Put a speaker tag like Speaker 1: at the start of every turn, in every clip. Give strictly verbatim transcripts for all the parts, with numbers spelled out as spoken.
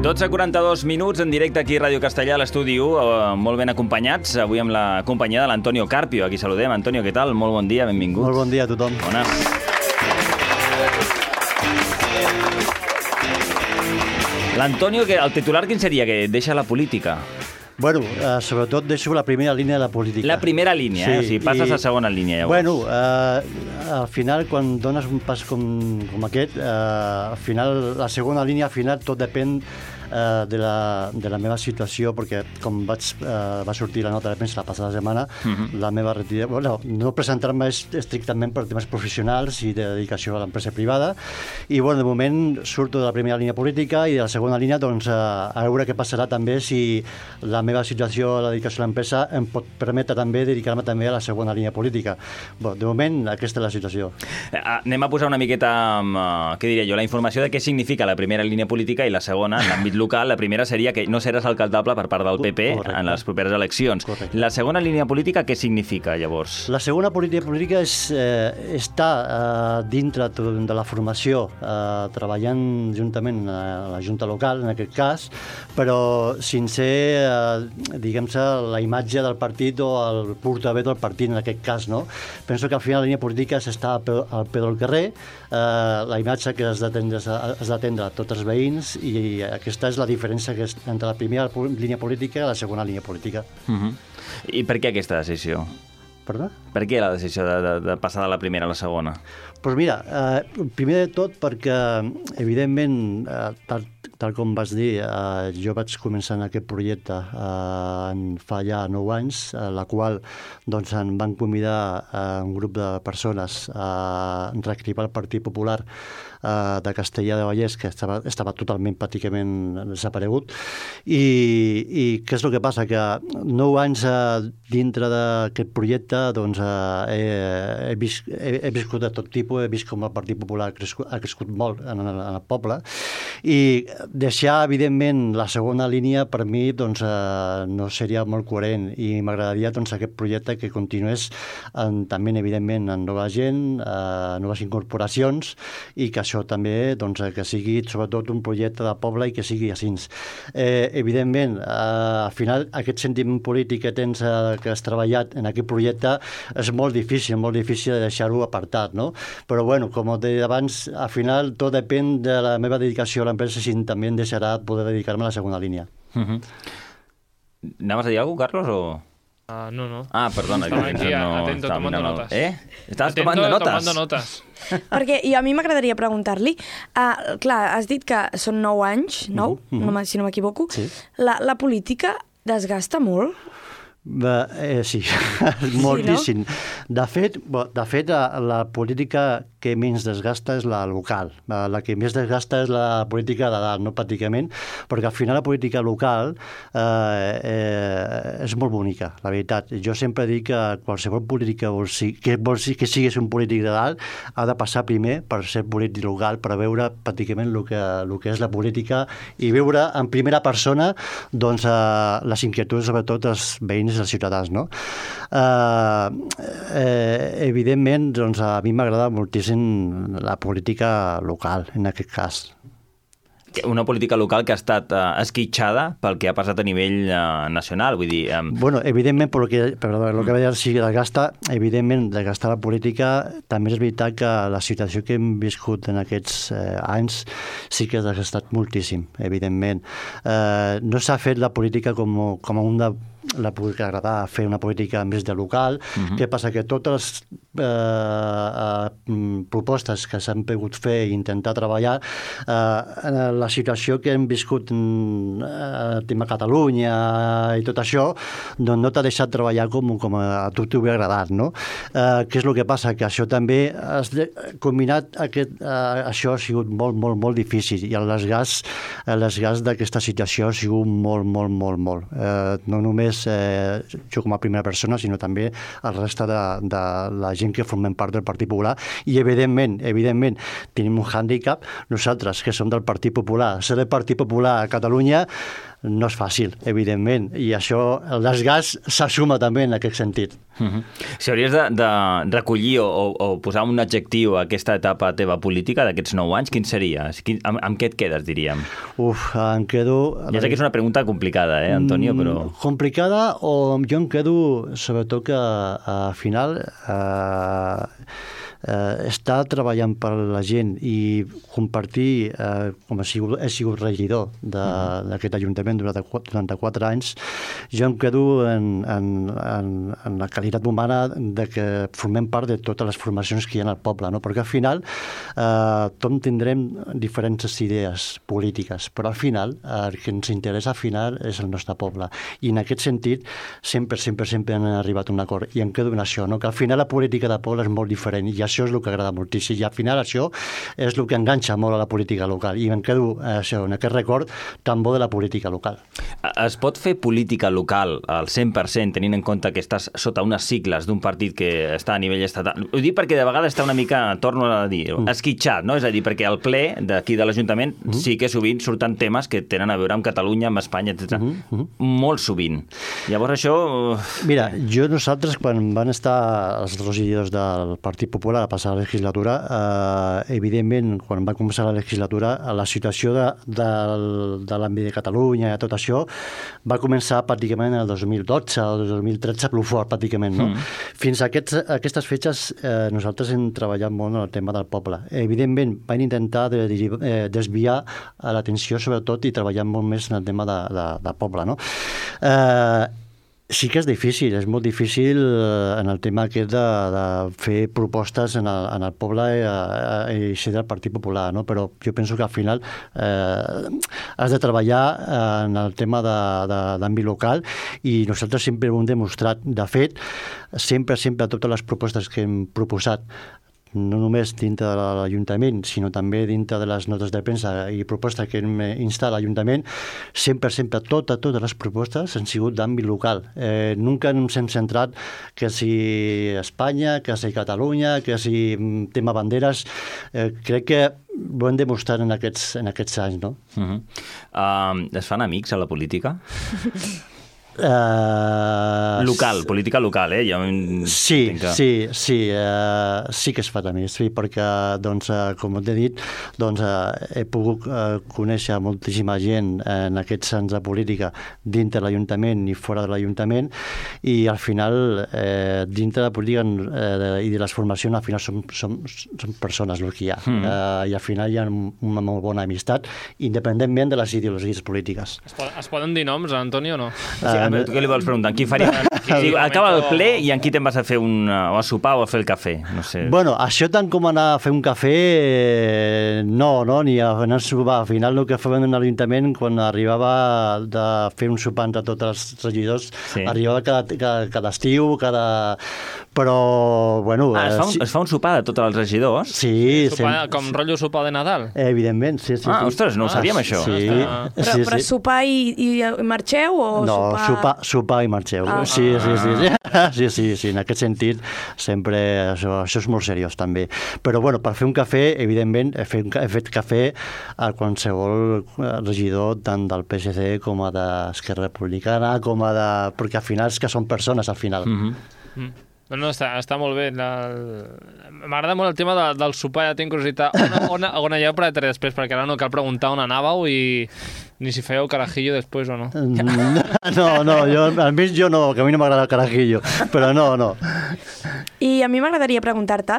Speaker 1: dotze quaranta-dos minuts en directe aquí a Ràdio Castellà, a l'estudi u, eh, molt ben acompanyats, avui amb la companyia de l'Antonio Carpio. Aquí saludem. Antonio, què tal? Molt bon dia, benvingut.
Speaker 2: Molt bon dia a tothom.
Speaker 1: Bones. L'Antonio, que el titular quin seria? Que deixa la política.
Speaker 2: Bueno, eh, sobretot deixo la primera línia de la política.
Speaker 1: La primera línia, sí, eh? O sigui, passes i... a segona línia, llavors.
Speaker 2: Bueno, eh, al final, quan dones un pas com, com aquest, eh, al final, la segona línia, al final, tot depèn eh, de, la, de la meva situació, perquè com vaig, eh, va sortir la nota de premsa la passada setmana, uh-huh. la meva retirada... Bueno, no presentar-me estrictament per temes professionals i de dedicació a l'empresa privada, i bueno, de moment surto de la primera línia política i de la segona línia, doncs, a, a veure què passarà també si la meva situació a la dedicació a l'empresa em pot permetre també dedicar-me també a la segona línia política. Bon, de moment, aquesta és la situació.
Speaker 1: Eh, anem a posar una miqueta, uh, què diria jo, la informació de què significa la primera línia política i la segona, en l'àmbit local. La primera seria que no seràs alcaldable per part del P P Correcte. En les properes eleccions. Correcte. La segona línia política, què significa, llavors?
Speaker 2: La segona política política és eh, estar eh, dintre de la formació, eh, treballant juntament a la Junta Local, en aquest cas, però sense eh, diguem-se, la imatge del partit o el portaveu del partit, en aquest cas, no? Penso que al final la línia política s'està al peu, al peu del carrer, eh, la imatge que has d'atendre a tots els veïns, i aquesta és la diferència que és entre la primera línia política i la segona línia política.
Speaker 1: Uh-huh. I per què aquesta decisió?
Speaker 2: Perdó?
Speaker 1: Per què la decisió de, de, de passar de la primera a la segona?
Speaker 2: Doncs pues mira, eh, primer de tot perquè, evidentment, eh, tal, tal com vas dir, eh, jo vaig començar en aquest projecte eh, en fa ja nou anys, eh, la qual doncs, en van convidar eh, un grup de persones a reactivar el Partit Popular eh, de Castellà de Vallès, que estava, estava totalment pràcticament desaparegut. I, i què és el que passa? Que nou anys eh, dintre d'aquest projecte doncs, eh, he, he, vis, he, he viscut de tot tipus, he vist com el Partit Popular ha crescut, ha crescut molt en, en, en el poble, i deixar, evidentment, la segona línia per mi doncs, eh, no seria molt coherent, i m'agradaria doncs, aquest projecte que continués en, també, evidentment, en nova gent, eh, noves incorporacions, i que això també doncs, que sigui sobretot un projecte de poble i que sigui així. Eh, evidentment, eh, al final, aquest sentiment polític que tens, eh, que has treballat en aquest projecte, és molt difícil, molt difícil de deixar-ho apartat, no? Però, bueno, com he dit abans, al final tot depèn de la meva dedicació a l'empresa, si també em deixarà poder dedicar-me a la segona línia.
Speaker 1: Uh-huh. Anaves a dir alguna cosa, Carlos, o...?
Speaker 3: Uh, no, no.
Speaker 1: Ah, perdona.
Speaker 3: Estava
Speaker 1: que
Speaker 3: aquí,
Speaker 1: no,
Speaker 3: atento, tomando el... notas.
Speaker 1: Eh? Estaves
Speaker 3: atento,
Speaker 1: tomando notes?
Speaker 3: tomando notes.
Speaker 4: Perquè, i a mi m'agradaria preguntar-li, uh, clar, has dit que són nou anys, nou, mm-hmm. no, si no m'equivoco,
Speaker 2: sí.
Speaker 4: la, la política desgasta molt?
Speaker 2: Eh, sí, moltíssim. Sí, no? De fet, de fet la, la política que menys desgasta és la local. La, la que més desgasta és la política de dalt, no pràcticament, perquè al final la política local eh, eh, és molt bonica, la veritat. Jo sempre dic que qualsevol política vol si, que, vol si, que siguis un polític de dalt ha de passar primer per ser polític local, per veure pràcticament el que, el que és la política i veure en primera persona doncs, eh, les inquietuds, sobretot els veïns i els ciutadans. No? Eh, eh, evidentment, doncs, a mi m'agrada moltíssim la política local, en aquest cas.
Speaker 1: Una política local que ha estat uh, esquitxada pel que ha passat a nivell uh, nacional, vull dir... Um...
Speaker 2: Bueno, evidentment, per lo que, per lo que veia, si desgasta, evidentment, desgastar la política, també és veritat que la situació que hem viscut en aquests eh, anys sí que ha desgastat moltíssim, evidentment. Eh, no s'ha fet la política com, com un de la política agradar fer una política més de local. Uh-huh. Què passa? Que totes les eh, eh, propostes que s'han pogut fer i intentar treballar, eh, la situació que hem viscut en eh, tema Catalunya i tot això, doncs no t'ha deixat treballar com, com a tu t'ho hauria agradat, no? Eh, què és el que passa? Que això també has de, combinat aquest, eh, això ha sigut molt, molt, molt difícil, i el desgast, el desgast d'aquesta situació ha sigut molt, molt, molt, molt. Eh, no només Eh, jo com a primera persona, sinó també el reste de, de la gent que formem part del Partit Popular, i evidentment, evidentment tenim un hàndicap nosaltres que som del Partit Popular. Ser del Partit Popular a Catalunya no és fàcil, evidentment, i això, el desgast s'assuma també en aquest sentit.
Speaker 1: Uh-huh. Si hauries de, de recollir o, o, o posar un adjectiu a aquesta etapa teva política d'aquests nou anys, quin seria? Quin, amb, amb què et quedes, diríem?
Speaker 2: Uf, em quedo...
Speaker 1: Ja sé que és una pregunta complicada, eh, Antonio, però...
Speaker 2: Complicada, o jo em quedo, sobretot que al final... Eh, eh, estar treballant per la gent i compartir, eh, com he sigut, he sigut regidor d'aquest ajuntament durant quaranta-quatre anys, jo em quedo en, en, en, en la qualitat humana de que formem part de totes les formacions que hi ha al poble, no? Perquè al final eh, tots tindrem diferents idees polítiques, però al final el que ens interessa al final és el nostre poble. I en aquest sentit sempre, sempre, sempre han arribat a un acord. I em quedo en això, no? Que al final la política de poble és molt diferent i això és el que agrada moltíssim. I al final això és el que enganxa molt a la política local. I em quedo eh, això, en aquest record tan bo de la política local.
Speaker 1: Es pot fer política local al cent per cent tenint en compte que estàs sota unes sigles d'un partit que està a nivell estatal? Ho dic perquè de vegades està una mica, torno a dir, mm. esquitxat, no? És a dir, perquè al ple d'aquí de l'Ajuntament mm. sí que sovint surten temes que tenen a veure amb Catalunya, amb Espanya, etcètera. Mm -hmm. Molt sovint. Llavors això...
Speaker 2: Mira, jo nosaltres, quan van estar els regidors del Partit Popular a passar la legislatura, eh, evidentment, quan va començar la legislatura, la situació de, de, de l'àmbit de Catalunya i tot això va començar pràcticament el dos mil dotze o dos mil tretze, prou fort, pràcticament, no? Mm. Fins a aquests, aquestes fetges eh, nosaltres hem treballat molt en el tema del poble. Evidentment, van intentar de, de, eh, desviar l'atenció, sobretot, i treballar molt més en el tema de, de, de poble, no? Eh, Sí que és difícil, és molt difícil en el tema aquest de, de fer propostes en el, en el poble i, i ser del Partit Popular, no? Però jo penso que al final eh, has de treballar en el tema d'àmbit local i nosaltres sempre ho hem demostrat. De fet, sempre, sempre, totes les propostes que hem proposat, no només dintre de l'Ajuntament, sinó també dintre de les notes de premsa i propostes que hem instat a l'Ajuntament, sempre, sempre, totes, totes les propostes han sigut d'àmbit local. Eh, nunca ens hem centrat que si Espanya, que si Catalunya, que si tema banderes. Eh, crec que ho hem demostrat en aquests, en aquests anys, no?
Speaker 1: Uh-huh. uh, es fan amics a la política?
Speaker 2: Uh,
Speaker 1: local, política local, eh? Jo
Speaker 2: sí,
Speaker 1: que...
Speaker 2: sí, sí, uh, sí que es fa també, sí, perquè, doncs, uh, com t'he dit, doncs, uh, he pogut uh, conèixer moltíssima gent en aquests anys de política dintre de l'Ajuntament i fora de l'Ajuntament, i al final, eh, dintre de la política eh, i de les formacions, al final som, som, som persones el que hi ha, mm. uh, i al final hi ha una molt bona amistat, independentment de les ideologies polítiques.
Speaker 3: Es, pot, es poden dir noms, Antoni, o no?
Speaker 1: Uh, A veure, tu què li vols preguntar? En qui faria... Sí, acaba el ple i en qui te'n vas a fer un... o a sopar o a fer el cafè? No sé.
Speaker 2: Bueno, això tant com anar a fer un cafè, eh, no, no, ni a anar a sopar. Al final el que fèiem en l'Ajuntament, quan arribava de fer un sopar entre tots els regidors, sí. arribava cada, cada, cada estiu, cada... Però, bueno...
Speaker 1: Ah, es fa, un,
Speaker 2: sí.
Speaker 1: es fa un sopar de tots els regidors?
Speaker 2: Sí.
Speaker 3: Sopar, com rotllo sopar de Nadal?
Speaker 2: Evidentment, sí, sí.
Speaker 1: Ah,
Speaker 2: sí.
Speaker 1: ostres, no ho sabíem,
Speaker 2: ah,
Speaker 1: això.
Speaker 2: Sí.
Speaker 3: Ah.
Speaker 4: Però,
Speaker 2: sí,
Speaker 4: però
Speaker 2: sí.
Speaker 4: sopar i, i marxeu o
Speaker 2: no,
Speaker 4: sopar...
Speaker 2: sopar, sopar i marxeu.
Speaker 4: Ah.
Speaker 2: Sí, sí, sí, sí. Sí, sí, sí. En aquest sentit, sempre això, això és molt seriós, també. Però, bueno, per fer un cafè, evidentment, he fet, he fet cafè a qualsevol regidor, tant del P S C com a d'Esquerra Republicana, com a de... perquè al final és que són persones, al final.
Speaker 1: Mm-hmm.
Speaker 3: Mm. No, no, està, està molt bé. M'agrada molt el tema de, del sopar, ja tinc curiositat. On, on, on aneu per després, perquè ara no cal preguntar on anàveu i ni si fèieu carajillo després o no.
Speaker 2: No, no, jo, almenys jo no, que a mi no m'agrada el carajillo, però no, no.
Speaker 4: I a mi m'agradaria preguntar-te,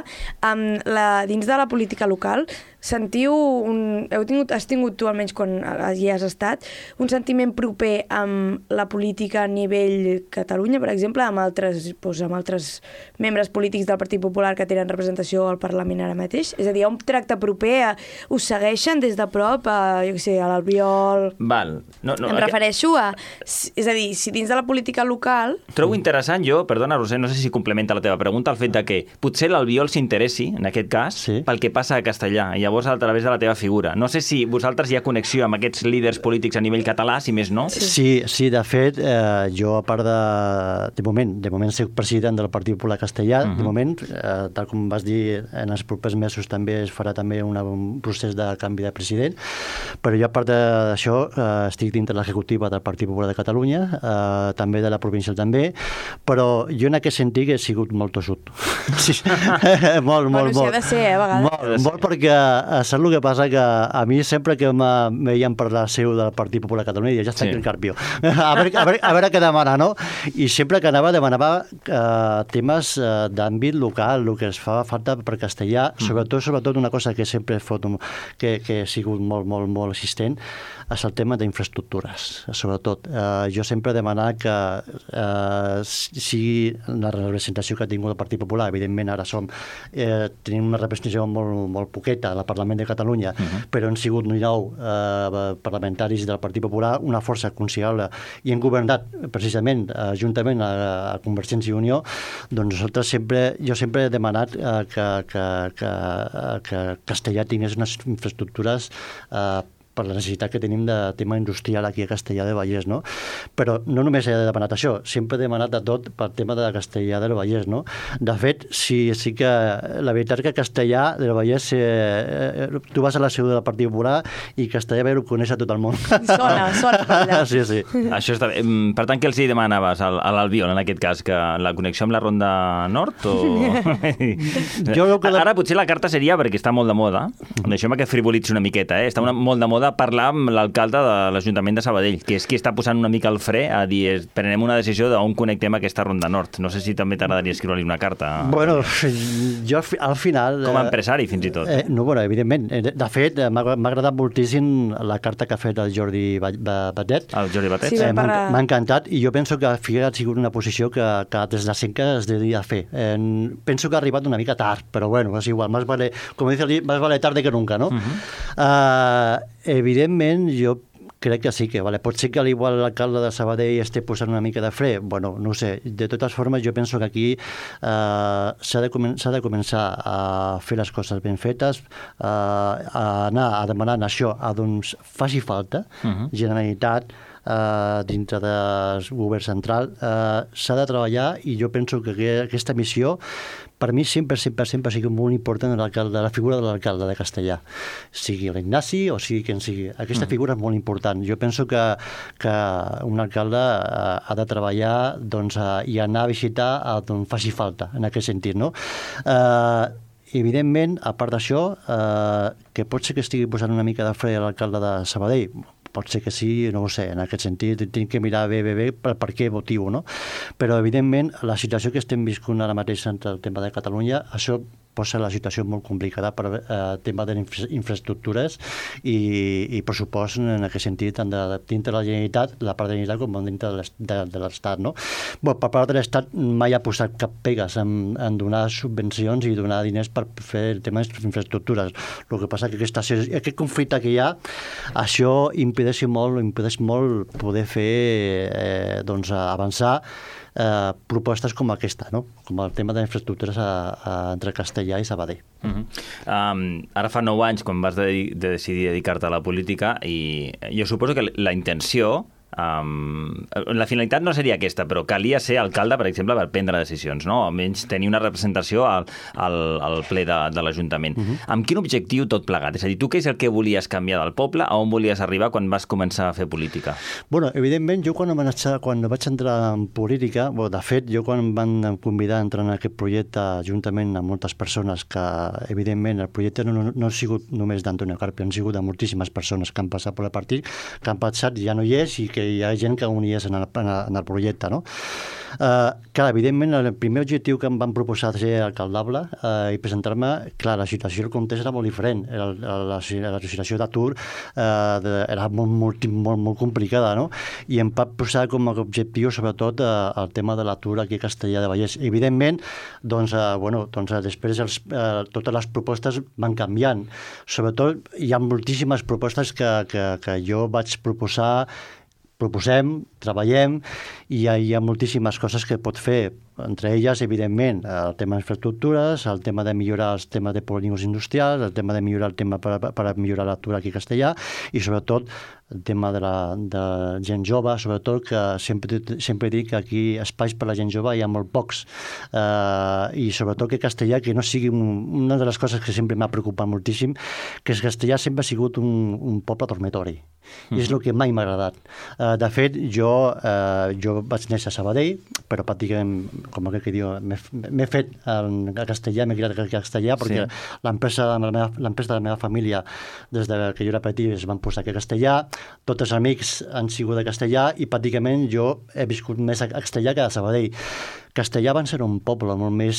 Speaker 4: um, la, dins de la política local, sentiu, un, heu tingut, has tingut tu, almenys quan hi has estat, un sentiment proper amb la política a nivell Catalunya, per exemple, amb altres, doncs, amb altres membres polítics del Partit Popular que tenen representació al Parlament ara mateix? És a dir, hi ha un tracte proper, a, us segueixen des de prop, a, jo què sé, a l'Albiol...
Speaker 1: Val. No, no,
Speaker 4: em refereixo a... És a dir, si dins de la política local...
Speaker 1: Trobo interessant jo, perdona, Roser, no sé si complementa la teva pregunta, el fet de que potser l'Albiol s'interessi, en aquest cas, sí. pel que passa a Castellà. I llavors llavors a través de la teva figura. No sé si vosaltres hi ha connexió amb aquests líders polítics a nivell català, si més no?
Speaker 2: Sí, sí, de fet, eh, jo a part de... De moment, de moment soc president del Partit Popular Castellà, uh -huh. de moment, eh, tal com vas dir, en els propers mesos també es farà també una, un procés de canvi de president, però jo a part d'això eh, estic dintre l'executiva del Partit Popular de Catalunya, eh, també de la provincial també, però jo en aquest sentit he sigut molt tossut. Sí. molt, molt,
Speaker 4: bueno,
Speaker 2: molt.
Speaker 4: Bueno, ha de ser, eh, a vegades.
Speaker 2: Molt, molt perquè saps el que passa? Que a mi sempre que me veien per la seu del Partit Popular de Catalunya ja està sí. aquí el Carpio. A veure, a, veure, a veure què demana, no? I sempre que anava demanava eh, temes eh, d'àmbit local, el que es fa falta per castellà, mm. sobretot, sobretot una cosa que sempre he fot, que, que he sigut molt, molt, molt assistent, és el tema d'infraestructures, sobretot. Eh, jo sempre he demanat que eh, sigui la representació que ha tingut el Partit Popular, evidentment ara som, eh, tenim una representació molt, molt poqueta al Parlament de Catalunya, uh -huh. però han sigut nou eh, parlamentaris del Partit Popular, una força considerable, i han governat precisament eh, juntament a, a Convergència i Unió, doncs nosaltres sempre, jo sempre he demanat eh, que, que, que, que Castellà tingués unes infraestructures eh, per la necessitat que tenim de tema industrial aquí a Castellà de Vallès, no? Però no només he demanat això, sempre he demanat de tot per tema de Castellà del Vallès, no? De fet, sí, sí que la veritat que Castellà del Vallès, eh, tu vas a la seu del Partit Popular i Castellà ho coneix a tot el món.
Speaker 4: Sona, sona.
Speaker 2: Sí, sí.
Speaker 1: Això està bé. Per tant, què els hi demanaves a l'Albiol, en aquest cas? Que la connexió amb la Ronda Nord? O... jo que la... Ara potser la carta seria, perquè està molt de moda, deixem que frivolitzi una miqueta, eh? Està una, molt de moda de parlar amb l'alcalde de l'Ajuntament de Sabadell, que és qui està posant una mica el fre a dir, prenem una decisió d'on connectem aquesta Ronda Nord. No sé si també t'agradaria escriure-li una carta.
Speaker 2: Bueno, jo al final...
Speaker 1: Com a empresari, fins i tot.
Speaker 2: Eh, no, bueno, evidentment. De fet, m'ha agradat moltíssim la carta que ha fet el Jordi Batet.
Speaker 1: El Jordi Batet?
Speaker 4: Sí,
Speaker 2: eh,
Speaker 4: para...
Speaker 2: M'ha encantat i jo penso que ha sigut una posició que, que des de sempre es devia fer. Eh, penso que ha arribat una mica tard, però bueno, és igual. Más vale, com dice el más vale tarde que nunca, no? Uh -huh. uh, Evidentment, jo crec que sí que, vale. Pot ser que al igual l'alcalde de Sabadell esté posant una mica de fre, bueno, no ho sé. De totes formes, jo penso que aquí eh, s'ha de, comen de començar a fer les coses ben fetes, eh, a anar a demanar això a d'on faci falta, uh -huh. Generalitat, Uh, dintre del govern central, uh, s'ha de treballar i jo penso que aquesta missió per mi sempre, sempre, sempre ha sigut molt important la figura de l'alcalde de Castellà, sigui l'Ignasi o sigui quien sigui. Aquesta figura és molt important. Jo penso que, que un alcalde uh, ha de treballar doncs, uh, i anar a visitar on faci falta, en aquest sentit, no? Uh, evidentment, a part d'això, uh, que pot ser que estigui posant una mica de fre a l'alcalde de Sabadell, pot ser que sí, no ho sé, en aquest sentit tinc que mirar bé, bé, bé per, per què motiu, no? Però, evidentment, la situació que estem viscut ara mateix entre el tema de Catalunya, això posa la situació molt complicada per eh, tema d'infraestructures i, i pressupost en aquest sentit, tant de, dintre de la Generalitat, la part de la Generalitat com dintre de l'Estat, no? Bon, per part de l'Estat mai ha posat cap pegues en, en donar subvencions i donar diners per fer el tema d'infraestructures. El que passa que aquesta, aquest conflicte que hi ha, això impedeix molt, impedeix molt poder fer, eh, doncs, avançar Eh, propostes com aquesta, no? Com el tema d'infraestructures entre Castellà i Sabadell.
Speaker 1: Uh -huh. um, ara fa nou anys, quan vas de, de decidir dedicar-te a la política, i jo suposo que la intenció... Um, la finalitat no seria aquesta, però calia ser alcalde, per exemple, per prendre decisions, no? Almenys tenir una representació al, al, al ple de, de l'Ajuntament. Uh-huh. Amb quin objectiu tot plegat? És a dir, tu què és el que volies canviar del poble? A on volies arribar quan vas començar a fer política?
Speaker 2: Bueno, evidentment, jo quan, quan vaig entrar en política, bueno, de fet, jo quan em van convidar a entrar en aquest projecte juntament amb moltes persones que, evidentment, el projecte no, no, no ha sigut només d'Antonio Carpio, han sigut de moltíssimes persones que han passat per el partit, que han passat, ja no hi és, i que hi ha gent que unies en el, en el projecte, no? Uh, clar, evidentment, el primer objectiu que em van proposar ser alcaldable uh, i presentar-me, clar, la situació del context era molt diferent. La, la, la, la situació d'atur uh, era molt, molt, molt, molt complicada, no? I em va posar com a objectiu, sobretot, uh, el tema de l'atur aquí a Castellà de Vallès. Evidentment, doncs, uh, bueno, doncs, uh, després els, uh, totes les propostes van canviant. Sobretot, hi ha moltíssimes propostes que, que, que jo vaig proposar proposem, treballem, i hi ha, hi ha moltíssimes coses que pot fer, entre elles, evidentment, el tema d'infraestructures, el tema de millorar els temes de polígons industrials, el tema de millorar el tema per, per millorar la lectura aquí a castellà, i sobretot el tema de la de gent jove, sobretot que sempre, sempre dic que aquí espais per a la gent jove hi ha molt pocs, eh, i sobretot que castellà que no sigui un, una de les coses que sempre m'ha preocupat moltíssim, que castellà sempre ha sigut un, un poble dormitori, mm. i és el que mai m'ha agradat. Eh, de fet, jo, eh, jo vaig néixer a Sabadell, però pràcticament, com aquell que diu, m'he fet en castellà, m'he criat en castellà, perquè sí. l'empresa de, la meva, l'empresa de la meva família, des de que jo era petit, es van posar aquí a castellà, tots els amics han sigut de castellà, i pràcticament jo he viscut més a castellà que a Sabadell. Castellà van ser un poble, molt més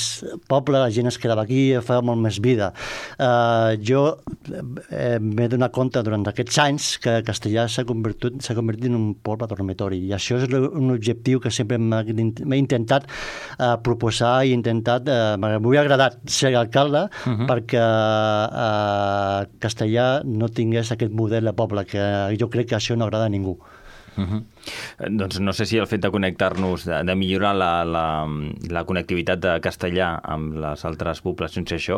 Speaker 2: poble, la gent es quedava aquí, feia molt més vida. Uh, jo eh, m'he donat compte durant aquests anys que Castellà s'ha convertit, s'ha convertit en un poble dormitori, i això és un objectiu que sempre m'he intentat uh, proposar i intentat, uh, m'hauria agradat ser alcalde, uh-huh. perquè uh, Castellà no tingués aquest model de poble, que jo crec que això no agrada a ningú.
Speaker 1: Uh-huh. Doncs no sé si el fet de connectar-nos, de, de millorar la, la, la connectivitat de castellà amb les altres poblacions, això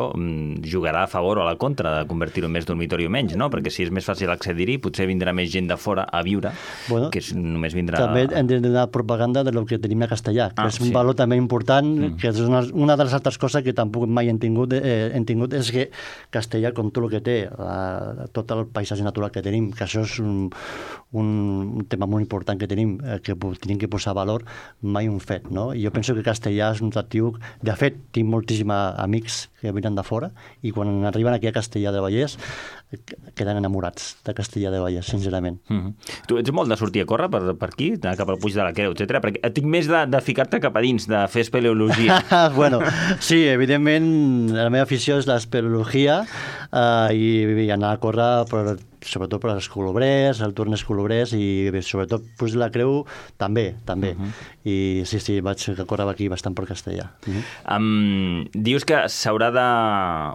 Speaker 1: jugarà a favor o a la contra de convertir-ho en més dormitori o menys, no? Perquè si és més fàcil accedir-hi, potser vindrà més gent de fora a viure, bueno, que és, només vindrà...
Speaker 2: També hem de donar propaganda de lo que tenim a castellà, que ah, és un sí. valor també important, mm. que és una, una de les altres coses que tampoc mai hem tingut, eh, hem tingut és que castellà, com tot el que té, la, tot el paisatge natural que tenim, que això és un, un, un tema molt important que tenim, eh, que tenim que posar valor, mai un fet, no? I jo penso que castellà és un atractiu... De fet, tinc moltíssims amics que venen de fora, i quan arriben aquí a Castellar del Vallès queden enamorats de Castellar del Vallès, sincerament.
Speaker 1: Mm-hmm. Tu ets molt de sortir a córrer per, per aquí, cap al Puig de la Creu, etcètera, perquè tinc més de, de ficar-te cap a dins, de fer espeleologia.
Speaker 2: Bueno, sí, evidentment, la meva afició és l'espeleologia, eh, i, i anar a córrer per, sobretot per als colobrers, el Tornes Colobrers, i sobretot Puig de la Creu també, també. Uh-huh. I sí, sí, vaig a córrer aquí bastant per Castellà. Uh-huh.
Speaker 1: Um, dius que s'haurà de...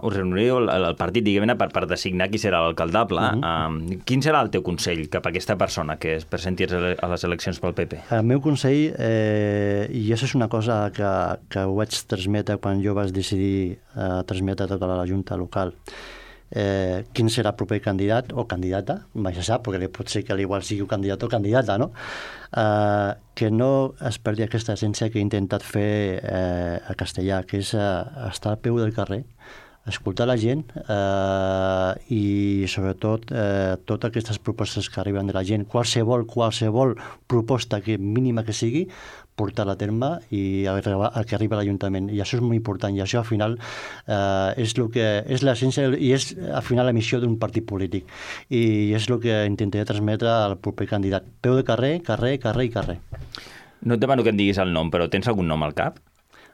Speaker 1: Us reuniríeu el, el partit, diguem-ne, per, per designar qui serà l'alcaldable. Uh-huh. Um, quin serà el teu consell cap a aquesta persona que es presenti a les eleccions pel P P?
Speaker 2: El meu consell, eh, i això és una cosa que, que ho vaig transmetre quan jo vaig decidir eh, transmetre tota la Junta local, Eh, quin serà el proper candidat o candidata, mai se sap, perquè pot ser que igual sigui un candidat o candidata, no? Eh, que no es perdi aquesta essència que he intentat fer eh, a Castellà, que és eh, estar al peu del carrer, escoltar la gent, eh, i sobretot eh, totes aquestes propostes que arriben de la gent, qualsevol, qualsevol proposta que mínima que sigui, portar-la a terme i a, a que arriba a l'Ajuntament. I això és molt important, i això al final eh, és, lo que, és l'essència i és al final la missió d'un partit polític, i és el que intentaré transmetre al proper candidat. Peu de carrer, carrer, carrer i carrer.
Speaker 1: No et demano que em diguis el nom, però tens algun nom al cap?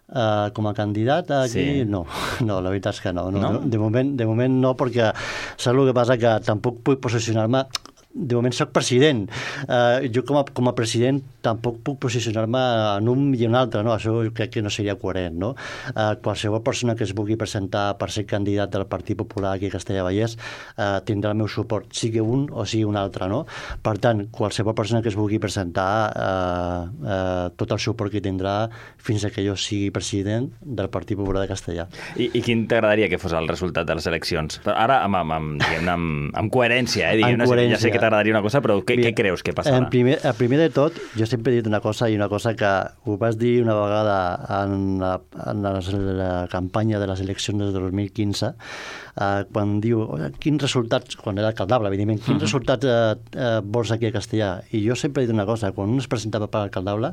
Speaker 2: Uh, com a candidat aquí, sí. no, no, la veritat és que no. no, no? De, moment, de moment no, perquè saps el que passa, que tampoc puc posicionar-me. De moment soc president. Uh, jo com a, com a president tampoc puc posicionar-me en un i en un altre, no? Això crec que no seria coherent, no? Uh, qualsevol persona que es vulgui presentar per ser candidat del Partit Popular aquí a Castellar-Vallès uh, tindrà el meu suport, sigui un o sigui un altre, no? Per tant, qualsevol persona que es vulgui presentar, uh, uh, tot el suport que tindrà fins a que jo sigui president del Partit Popular de Castellar. I,
Speaker 1: i quin t'agradaria que fos el resultat de les eleccions? Però ara, amb, amb, amb, amb, amb coherència, eh? Diguem, amb coherència. Ja sé que t'agradaria una cosa, però què, què creus que passarà?
Speaker 2: En primer, el primer de tot, jo sempre he dit una cosa, i una cosa que ho vas dir una vegada en la, en la, la campanya de les eleccions del dos mil quinze, eh, quan diu, quins resultats, quan era alcaldable, evidentment, quins uh-huh. resultats eh, eh, vols aquí a Castellà? I jo sempre he dit una cosa, quan un es presentava per alcaldable,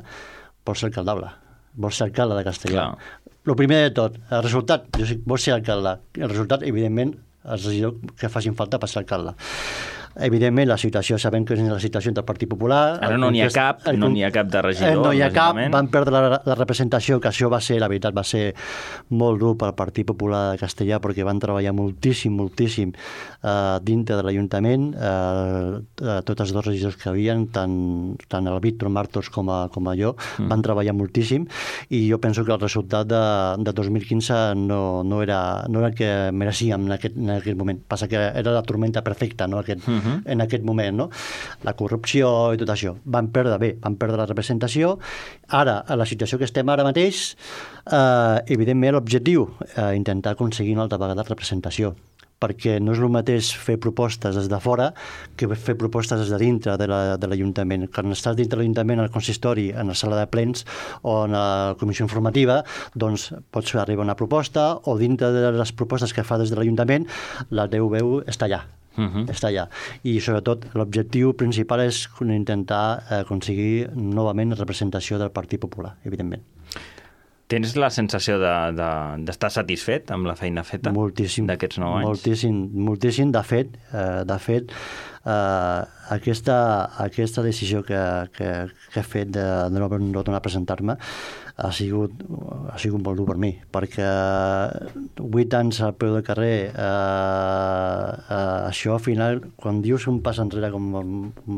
Speaker 2: vols ser alcaldable, vols ser alcalde de Castellà. El primer de tot, el resultat, jo sí, vols ser alcalde. El resultat, evidentment, els regidors que facin falta per ser alcalde. Evidentment, la situació, sabem que és la situació del Partit Popular.
Speaker 1: Ara no n'hi ha cap, el, no n'hi ha cap de regidor.
Speaker 2: No n'hi ha cap, van perdre la, la representació, que això va ser, la veritat, va ser molt dur pel Partit Popular de Castellà, perquè van treballar moltíssim, moltíssim uh, dintre de l'Ajuntament, uh, uh, tots els dos regidors que havien, tant, tant el Víctor Martos com a, com a jo, mm. van treballar moltíssim, i jo penso que el resultat de, de dos mil quinze no, no, era, no era el que mereixíem en aquest, en aquest moment. Passa que era la tormenta perfecta, no? Aquest, mm-hmm. uh-huh. en aquest moment, no? La corrupció i tot això. Van perdre, bé, van perdre la representació. Ara, a la situació que estem ara mateix, eh, evidentment l'objectiu, eh, intentar aconseguir una altra vegada representació, perquè no és el mateix fer propostes des de fora que fer propostes des de dintre de l'Ajuntament. Quan estàs dintre de l'Ajuntament, al consistori, en la sala de plens o en la comissió informativa, doncs pots arribar a una proposta, o dintre de les propostes que fa des de l'Ajuntament, la teu veu està allà. Uh-huh. Està allà. I sobretot l'objectiu principal és intentar aconseguir novament representació del Partit Popular, evidentment.
Speaker 1: Tens la sensació d'estar de, de, satisfet amb la feina feta d'aquests nou anys?
Speaker 2: Moltíssim, moltíssim. De fet, eh, de fet eh, aquesta, aquesta decisió que, que, que he fet de, de no, no tornar a presentar-me ha sigut, ha sigut molt dur per mi, perquè vuit anys al peu del carrer, eh, eh, això al final, quan dius un pas enrere com,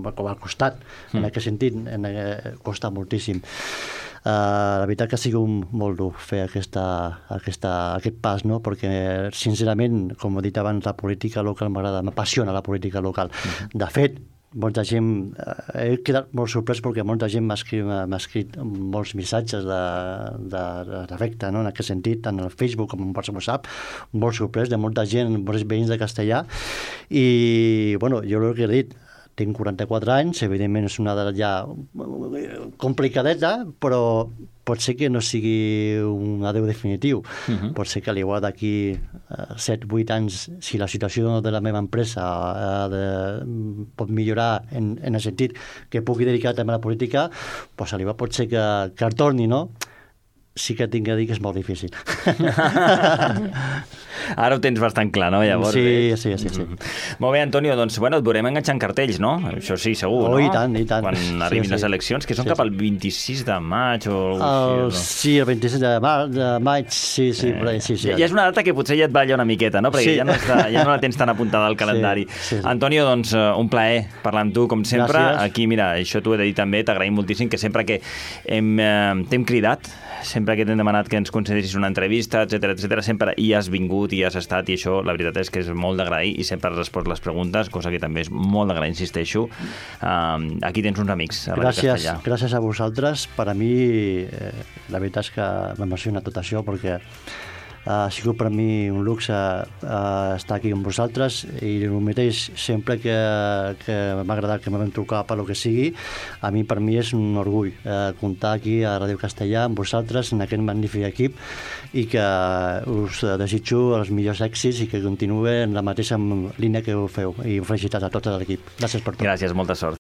Speaker 2: com al costat, mm. en aquest sentit, en, costa moltíssim. Uh, la veritat que ha sigut molt dur fer aquesta, aquesta, aquest pas, no? Perquè sincerament, com he dit abans, la política local m'agrada, m'apassiona la política local. Uh-huh. De fet, molta gent, eh, he quedat molt sorprès perquè molta gent m'ha escrit, m'ha escrit molts missatges d'afecte, no? En aquest sentit, tant al Facebook com per WhatsApp, molt sorprès de molta gent, molts veïns de Castellà, i bueno, jo el que he dit, tinc quaranta-quatre anys, evidentment és una edat ja complicadeta, però pot ser que no sigui un adeu definitiu. Uh-huh. Pot ser que al igual d'aquí set vuit anys, si la situació de la meva empresa eh, de, pot millorar en, en el sentit que pugui dedicar també a la política, doncs al igual pot ser que, que el torni, no? Sí que tinc que dir que és molt difícil.
Speaker 1: Ara ho tens bastant clar, no? Llavors,
Speaker 2: sí,
Speaker 1: eh?
Speaker 2: sí, sí, sí.
Speaker 1: Mm-hmm. Molt bé, Antonio, doncs, bueno, et veurem enganxant cartells, no? Això sí, segur,
Speaker 2: oh,
Speaker 1: no?
Speaker 2: I tant, i tant.
Speaker 1: Quan arribin sí, les eleccions, que són sí, cap al vint-i-sis de maig o...
Speaker 2: El, sí, el vint-i-sis de maig, de maig sí, sí, eh, sí, sí.
Speaker 1: Ja és una data que potser ja et balla una miqueta, no? Perquè sí. ja, no està, ja no la tens tan apuntada al calendari. Sí, sí, sí. Antonio, doncs, un plaer parlar amb tu, com sempre. Gràcies. Aquí, mira, això t'ho he de dir també, t'agraïm moltíssim, que sempre que hem, eh, t'hem cridat, sempre que t'hem demanat que ens concedissis una entrevista, etcètera, etcètera, sempre hi has vingut i has estat, i això la veritat és que és molt d'agrair, i sempre has respost les preguntes, cosa que també és molt d'agrair, insisteixo. Uh, aquí tens uns amics a Ràdio Castellà.
Speaker 2: Gràcies a vosaltres. Per a mi, eh, la veritat és que m'emociona tot això, perquè ha sigut per mi un luxe uh, estar aquí amb vosaltres, i el mateix sempre que, que m'ha agradat que m'havem trucat per lo que sigui, a mi per mi és un orgull uh, comptar aquí a Ràdio Castellà amb vosaltres en aquest magnífic equip, i que us desitjo els millors èxits i que continuï en la mateixa línia que ho feu, i felicitats a tot l'equip. Gràcies per tot.
Speaker 1: Gràcies, molta sort.